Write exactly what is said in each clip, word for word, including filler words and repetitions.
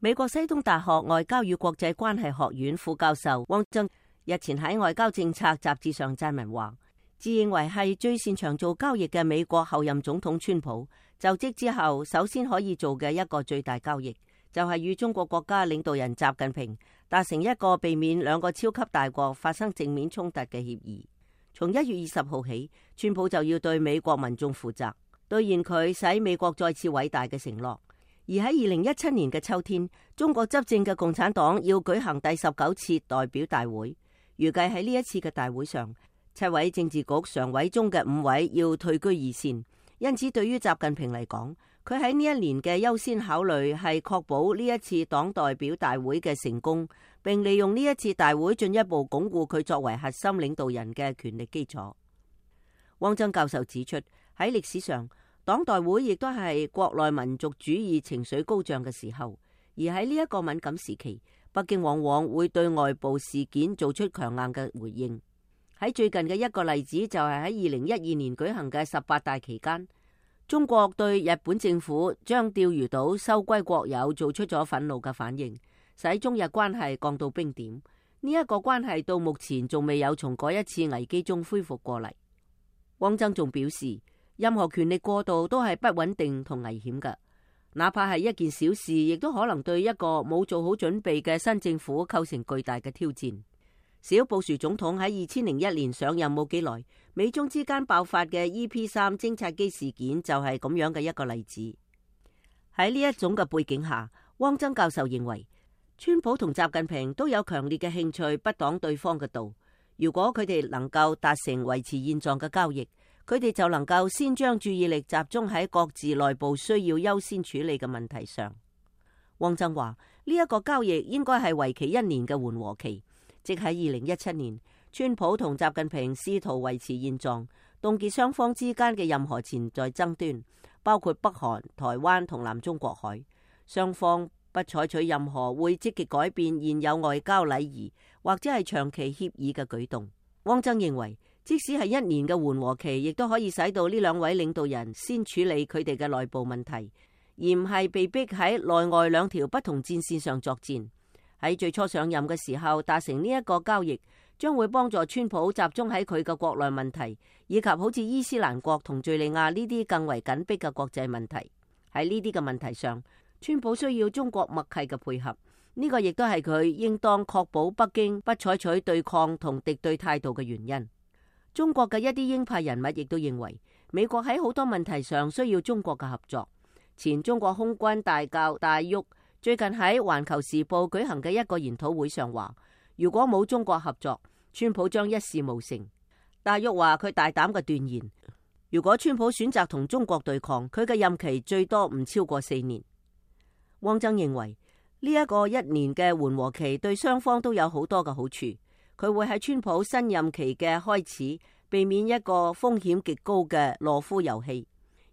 美國西東大學外交與國際關係學院副教授汪曾日前喺外交政策雜誌上撰文話，自認為係最擅長做交易嘅美國後任總統川普就職之後，首先可以做嘅一個最大交易，就係與中國國家領導人習近平達成一個避免兩個超級大國發生正面衝突嘅協議。從一月二十號起，川普就要對美國民眾負責，兌現佢使美國再次偉大嘅承諾。而喺二零一七年嘅秋天，中國執政嘅共產黨要舉行第十九次代表大會，預計喺呢一次嘅大會上，七位政治局常委中嘅五位要退居二線。因此，對於習近平嚟講，佢喺呢一年嘅優先考慮係確保呢一次黨代表大會嘅成功，並利用呢一次大會進一步鞏固佢作為核心領導人嘅權力基礎。汪曾教授指出，喺歷史上，黨代會亦都係國內民族主義情緒高漲嘅時候，而喺呢一個敏感時期，北京往往會對外部事件做出強硬嘅回應。喺最近嘅一個例子就係喺二零一二年舉行嘅十八大期間，中國對日本政府將釣魚島收歸國有做出咗憤怒嘅反應，使中日關係降到冰點。呢、這、一個關係到目前仲未有從嗰一次危機中恢復過嚟。汪曾仲表示，任何權力過度都係不穩定同危險嘅，哪怕係一件小事，亦都可能對一個冇做好準備嘅新政府構成巨大嘅挑戰。小布殊總統喺二千零一年上任冇幾耐，美中之間爆發嘅 E P 三偵察機事件就係咁樣嘅一個例子。喺呢一種嘅背景下，汪曾教授認為，川普同習近平都有強烈嘅興趣不擋對方嘅道。如果佢哋能夠達成維持現狀嘅交易，佢哋就能夠先將注意力集中喺各自內部需要優先處理嘅問題上。汪曾話，呢一個交易應該係為期一年嘅緩和期。即喺二零一七年，川普同習近平試圖維持現狀，凍結雙方之間嘅任何潛在爭端，包括北韓、台灣同南中國海。雙方不採取任何會積極改變現有外交禮儀或者係長期協議嘅舉動。汪曾認為，即使係一年嘅緩和期，亦都可以使到呢兩位領導人先處理佢哋嘅內部問題，而唔係被逼喺內外兩條不同戰線上作戰。喺最初上任嘅時候達成呢一個交易，將會幫助川普集中喺佢嘅國內問題，以及好似伊斯蘭國同敘利亞呢啲更為緊迫嘅國際問題。喺呢啲嘅問題上，川普需要中國默契嘅配合，呢個亦都係佢應當確保北京不採取對抗同敵對態度嘅原因。中國嘅一啲鷹派人物亦都認為，美國喺好多問題上需要中國嘅合作。前中國空軍大校戴旭最近喺《環球時報》舉行嘅一個研討會上話，如果冇中國合作，川普將一事無成。戴旭話佢大膽嘅斷言，如果川普選擇同中國對抗，佢嘅任期最多唔超過四年。汪曾認為呢一個一年嘅緩和期對雙方都有好多嘅好處，佢會喺川普新任期嘅開始避免一個風險極高嘅懦夫遊戲，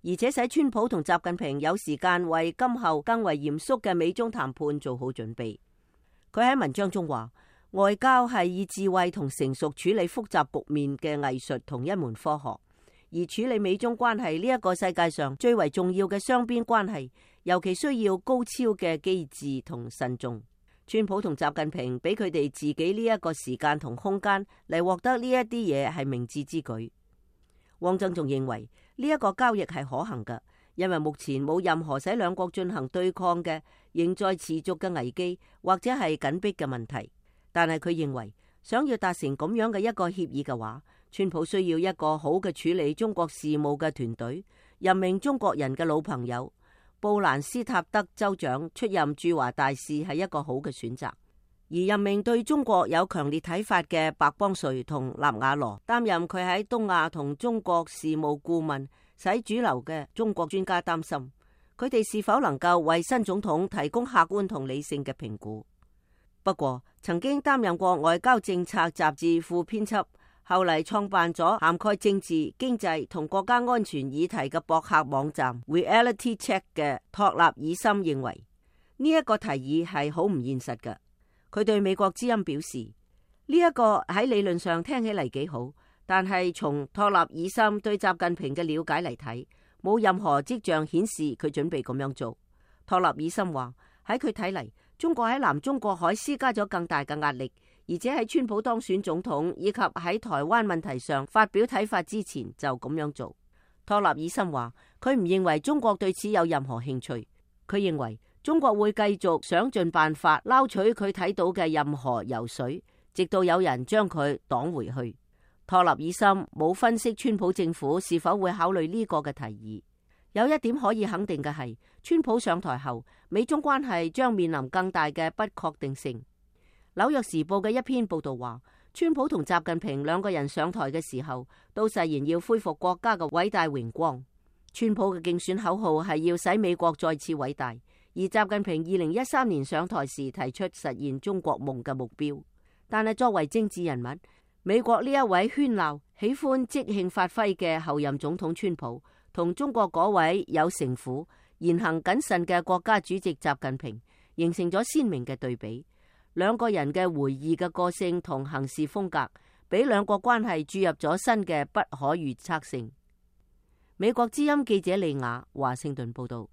而且使川普同習近平有時間為今後更為嚴肅嘅美中談判做好準備。佢喺文章中話，外交係以智慧同成熟處理複雜局面嘅藝術同一門科學，而處理美中關係呢一個世界上最為重要嘅雙邊關係，尤其需要高超嘅機智同慎重。川普同習近平俾佢哋自己呢一個時間同空間嚟獲得呢一啲嘢係明智之舉。汪曾仲認為呢一個交易係可行嘅，因為目前冇任何使兩國進行對抗嘅仍在持續嘅危機或者係緊迫嘅問題。但係佢認為想要達成咁樣嘅一個協議嘅話，川普需要一個好嘅處理中國事務嘅團隊，任命中國人嘅老朋友布蘭斯塔德州長出任駐華大使係一個好嘅選擇。而任命對中國有強烈睇法嘅白邦瑞同納瓦羅擔任佢喺東亞同中國事務顧問，使主流嘅中國專家擔心佢哋是否能夠為新總統提供客觀同理性嘅評估。不過，曾經擔任過外交政策雜誌副編輯，後嚟創辦咗涵蓋政治、經濟同國家安全議題嘅博客網站 Reality Check 嘅托納爾森認為呢一個提議係好唔現實嘅。佢對美國之音表示，呢一個喺理論上聽起嚟幾好，但係從托納爾森對習近平嘅了解嚟睇，冇任何跡象顯示佢準備咁樣做。托納爾森話，喺佢睇嚟，中國喺南中國海施加咗更大嘅壓力，而且喺川普當選總統以及喺台灣問題上發表睇法之前就咁樣做。托納爾森話，佢唔認為中國對此有任何興趣，佢認為中國會繼續想盡辦法撈取佢睇到嘅任何油水，直到有人將佢擋回去。托納爾森冇分析川普政府是否會考慮呢個嘅提議。有一點可以肯定嘅係，川普上台後，美中關係將面臨更大嘅不確定性。紐約時報嘅一篇報道話，川普同習近平兩個人上台嘅時候，都誓言要恢復國家嘅偉大榮光。川普嘅競選口號係要使美國再次偉大，而習近平二零一三年上台時提出實現中國夢嘅目標。但係作為政治人物，美國呢一位喧鬧、喜歡即興發揮嘅後任總統川普，同中國嗰位有城府、言行謹慎嘅國家主席習近平，形成咗鮮明嘅對比。兩個人嘅回憶嘅個性同行事風格，俾兩國關係注入咗新嘅不可預測性。美國之音記者利亞華盛頓報道。